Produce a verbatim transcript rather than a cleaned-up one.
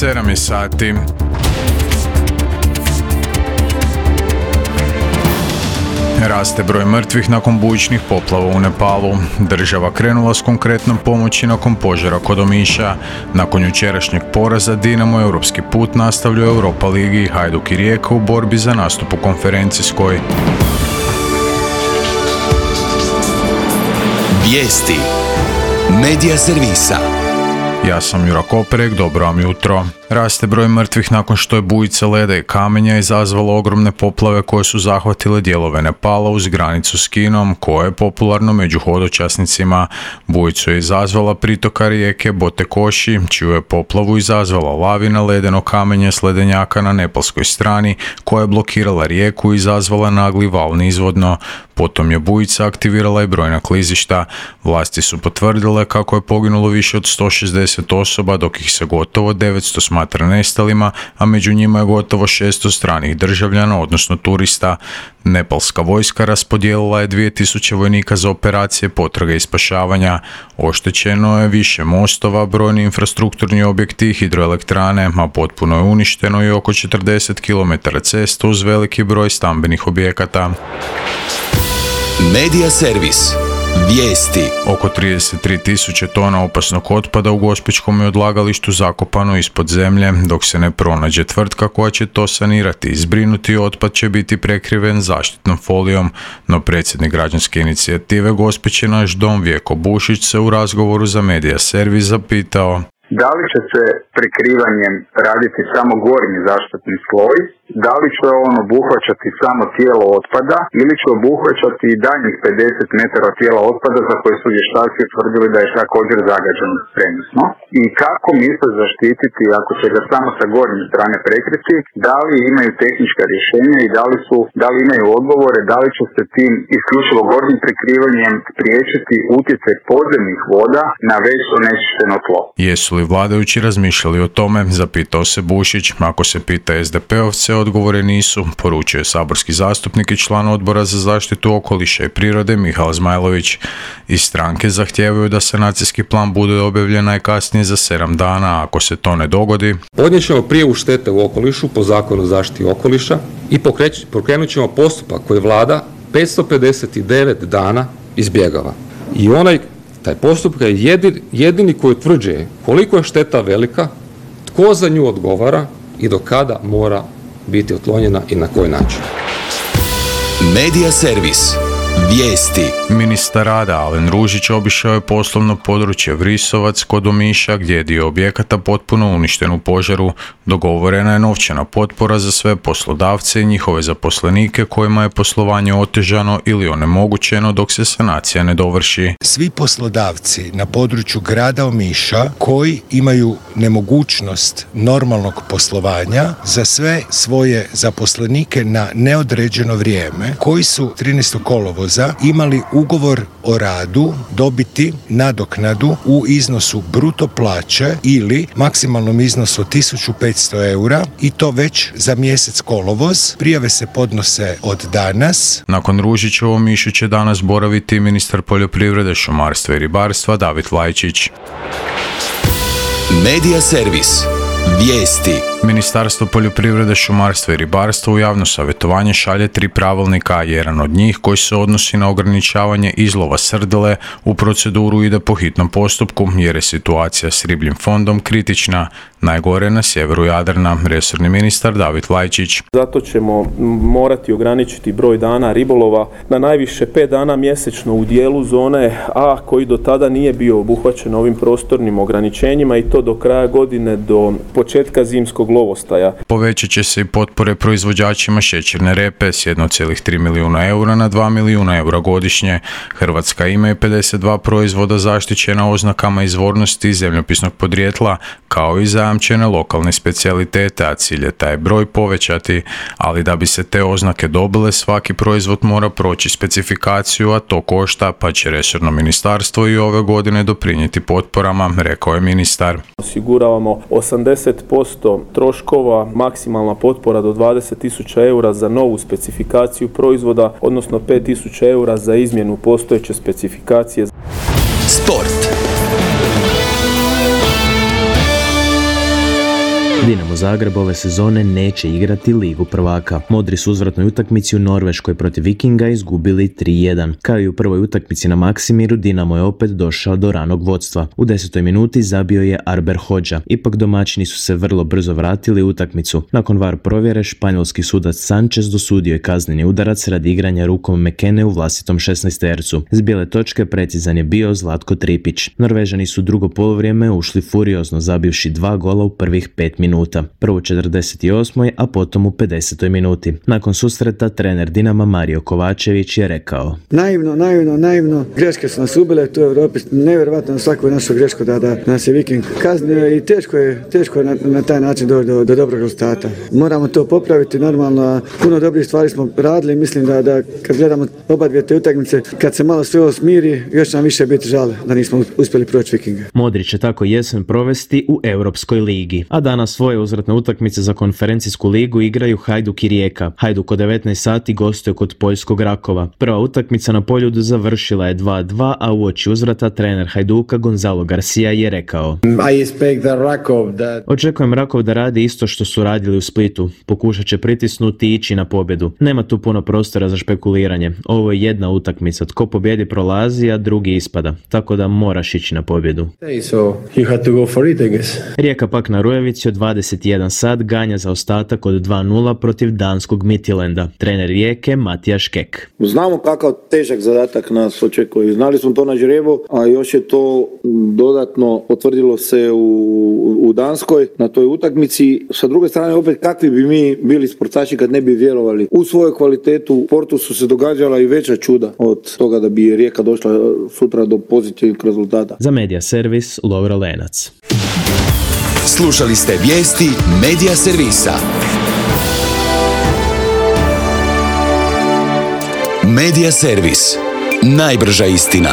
sedam je sati. Raste broj mrtvih nakon bujičnih poplava u Nepalu. Država krenula s konkretnom pomoći nakon požara kod Omiša. Nakon jučerašnjeg poraza Dinamo europski put nastavlja u Europa ligi. Hajduk i Rijeka u borbi za nastup u konferencijskoj. Vijesti Medija servisa. Ja sam Jura Koperek, dobro vam jutro. Raste broj mrtvih nakon što je bujica leda i kamenja izazvala ogromne poplave koje su zahvatile dijelove Nepala uz granicu s Kinom, koje je popularno među hodočasnicima. Bujicu je izazvala pritoka rijeke Botekoši, čiju je poplavu izazvala lavina ledeno kamenje s ledenjaka na nepalskoj strani, koja je blokirala rijeku i izazvala nagli val nizvodno. Potom je bujica aktivirala i brojna klizišta. Vlasti su potvrdile kako je poginulo više od sto šezdeset osoba, dok ih se gotovo devetsto smatra nestalima, a među njima je gotovo šesto stranih državljana, odnosno turista. Nepalska vojska raspodijelila je dvije tisuće vojnika za operacije potrage i spašavanja. Oštećeno je više mostova, brojni infrastrukturni objekti i hidroelektrane, a potpuno je uništeno i oko četrdeset kilometara cesta uz veliki broj stambenih objekata. Medija servis. Vijesti. Oko trideset tri tisuće tona opasnog otpada u Gospićkom je odlagalištu zakopano ispod zemlje, dok se ne pronađe tvrtka koja će to sanirati i zbrinuti. Otpad će biti prekriven zaštitnom folijom, no predsjednik građanske inicijative Gospić je naš dom Vjeko Bušić se u razgovoru za Medija servis zapitao: da li će se prekrivanjem raditi samo gornji zaštitni sloj, da li će on obuhvaćati samo tijelo otpada ili će obuhvaćati i daljnjih pedeset metara tijela otpada za koje su vještaci utvrdili da je također zagađeno prenosno, i kako misle zaštititi ako će ga samo sa gornje strane prekriti, da li imaju tehnička rješenja i da li, su, da li imaju odgovore, da li će se tim isključivo gornjim prekrivanjem spriječiti utjecaj podzemnih voda na već onečišćeno tlo. Jesu li vladajući razmišljali o tome, zapitao se Bušić. Ako se pita es de peovce, odgovore nisu, poručuje saborski zastupnik i član odbora za zaštitu okoliša i prirode Mihael Zmajlović. Iz stranke zahtijevaju da sanacijski plan bude objavljen najkasnije za sedam dana, a ako se to ne dogodi, podnijet ćemo prijavu štete u okolišu po zakonu o zaštiti okoliša i pokrenut ćemo postupak koji vlada petsto pedeset devet dana izbjegava. I onaj Taj postupak je jedini, jedini koji utvrđuje koliko je šteta velika, tko za nju odgovara i do kada mora biti otklonjena i na koji način. Medija servis. Vijesti. Ministar rada Alen Ružić obišao je poslovno područje Vrisovac kod Omiša, gdje je dio objekata potpuno uništen u požaru. Dogovorena je novčana potpora za sve poslodavce i njihove zaposlenike kojima je poslovanje otežano ili onemogućeno dok se sanacija ne dovrši. Svi poslodavci na području grada Omiša koji imaju nemogućnost normalnog poslovanja za sve svoje zaposlenike na neodređeno vrijeme, koji su trinaestog kolovoza imali ugovor o radu dobiti nadoknadu u iznosu bruto plaće ili maksimalnom iznosu od tisuću petsto eura, i to već za mjesec kolovoz. Prijave se podnose od danas. Nakon Ružića u Omišu će danas boraviti ministar poljoprivrede, šumarstva i ribarstva David Vlajčić. Medija servis. Vijesti. Ministarstvo poljoprivrede, šumarstva i ribarstva u javno savjetovanje šalje tri pravilnika. Jedan od njih, koji se odnosi na ograničavanje izlova srdele, u proceduru ide po hitnom postupku jer je situacija s ribljim fondom kritična. Najgore na sjeveru Jadrana, resorni ministar David Vlajčić. Zato ćemo morati ograničiti broj dana ribolova na najviše pet dana mjesečno u dijelu zone A, koji do tada nije bio obuhvaćen ovim prostornim ograničenjima, i to do kraja godine, do početka zimskog lovostaja. Povećat će se i potpore proizvođačima šećerne repe s jedan zarez tri milijuna eura na dva milijuna eura godišnje. Hrvatska ima i pedeset dva proizvoda zaštićena oznakama izvornosti i zemljopisnog podrijetla, kao i zajamčene lokalne specijalitete, a cilj je taj broj povećati, ali da bi se te oznake dobile, svaki proizvod mora proći specifikaciju, a to košta, pa će resorno ministarstvo i ove godine doprinijeti potporama, rekao je ministar. Osiguravamo osamdeset posto troškova, maksimalna potpora do dvadeset tisuća eura za novu specifikaciju proizvoda, odnosno pet tisuća eura za izmjenu postojeće specifikacije. Sport. Dinamo Zagreb ove sezone neće igrati Ligu prvaka. Modri su u uzvratnoj utakmici u Norveškoj protiv Vikinga izgubili tri jedan. Kao i u prvoj utakmici na Maksimiru, Dinamo je opet došao do ranog vodstva. U desetoj minuti zabio je Arber Hodža. Ipak domaćini su se vrlo brzo vratili u utakmicu. Nakon var provjere, španjolski sudac Sanchez dosudio je kazneni udarac radi igranja rukom Mekene u vlastitom šesnaestercu. S bijele točke precizan je bio Zlatko Tripić. Norvežani su drugo polovrijeme ušli furiozno, zabivši dva gola u prvih pet minuta. Prvo u četrdeset osmoj a potom u pedesetoj minuti. Nakon susreta trener Dinama Mario Kovačević je rekao: Naivno, naivno, naivno. Greške su nas ubile, to je u Europi nevjerovatno, svaku našu grešku da, da nas je Viking kaznio i teško je, teško je na, na taj način doći do, do dobrog rezultata. Moramo to popraviti, normalno, puno dobrih stvari smo radili, mislim da, da kad gledamo oba dvije te utakmice, kad se malo sve ovo smiri, još nam više biti žale da nismo uspjeli proći Vikinga. Modrić će tako jesen provesti u Europskoj ligi, a danas svoje uzvratne utakmice za konferencijsku ligu igraju Hajduk i Rijeka. Hajduk u devetnaest sati gostuje kod poljskog Rakova. Prva utakmica na Poljudu završila je dva dva, a uoči uzvrata trener Hajduka Gonzalo Garcia je rekao: that... Očekujem Rakov da radi isto što su radili u Splitu. Pokušat će pritisnuti i ići na pobjedu. Nema tu puno prostora za špekuliranje. Ovo je jedna utakmica. Tko pobjedi prolazi, a drugi ispada. Tako da moraš ići na pobjedu. So you had to go for it, I guess. Rijeka pak na Rujevici od dvadeset jedan sat ganja za ostatak od dva nula protiv danskog Midtjylanda. Trener Rijeke Matijaš Kek. Znamo kakav težak zadatak nas očekuje. Znali smo to na žrebu, a još je to dodatno potvrdilo se u, u Danskoj na toj utakmici. Sa druge strane, opet kakvi bi mi bili sportaši kad ne bi vjerovali u svoju kvalitetu. U Portu su se događala i veća čuda od toga da bi Rijeka došla sutra do pozitivnih rezultata. Za Media Servis, Lovro Lenac. Slušali ste vijesti Media Servisa. Media Servis. Najbrža istina.